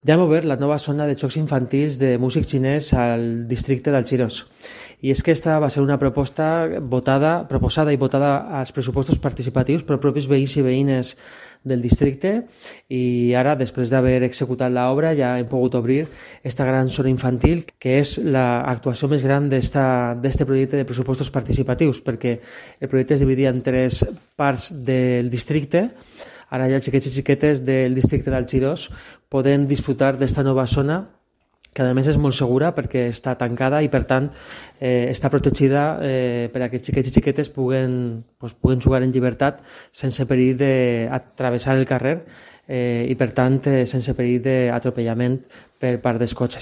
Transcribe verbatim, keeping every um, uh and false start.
Ja hem obert la nova zona de jocs infantils de músic xinès al districte d'Alchirós. I és que esta va ser una proposta votada, proposada i votada als pressupostos participatius per propis veïns i veïnes del districte, i ara, després d'haver executat l'obra, ja hem pogut obrir esta gran zona infantil, que és l'actuació més gran d'aquest projecte de pressupostos participatius, perquè el projecte es dividia en tres parts del districte. Ara ja els xiquets i xiquetes del districte d'Alchirós poden disfrutar d'esta nova zona, que a més és molt segura perquè està tancada i per tant eh, està protegida eh, per a que xiquets i xiquetes puguen, pues, puguen jugar en llibertat sense perill d'atravessar el carrer eh, i per tant eh, sense perill d'atropellament per part dels cotxes.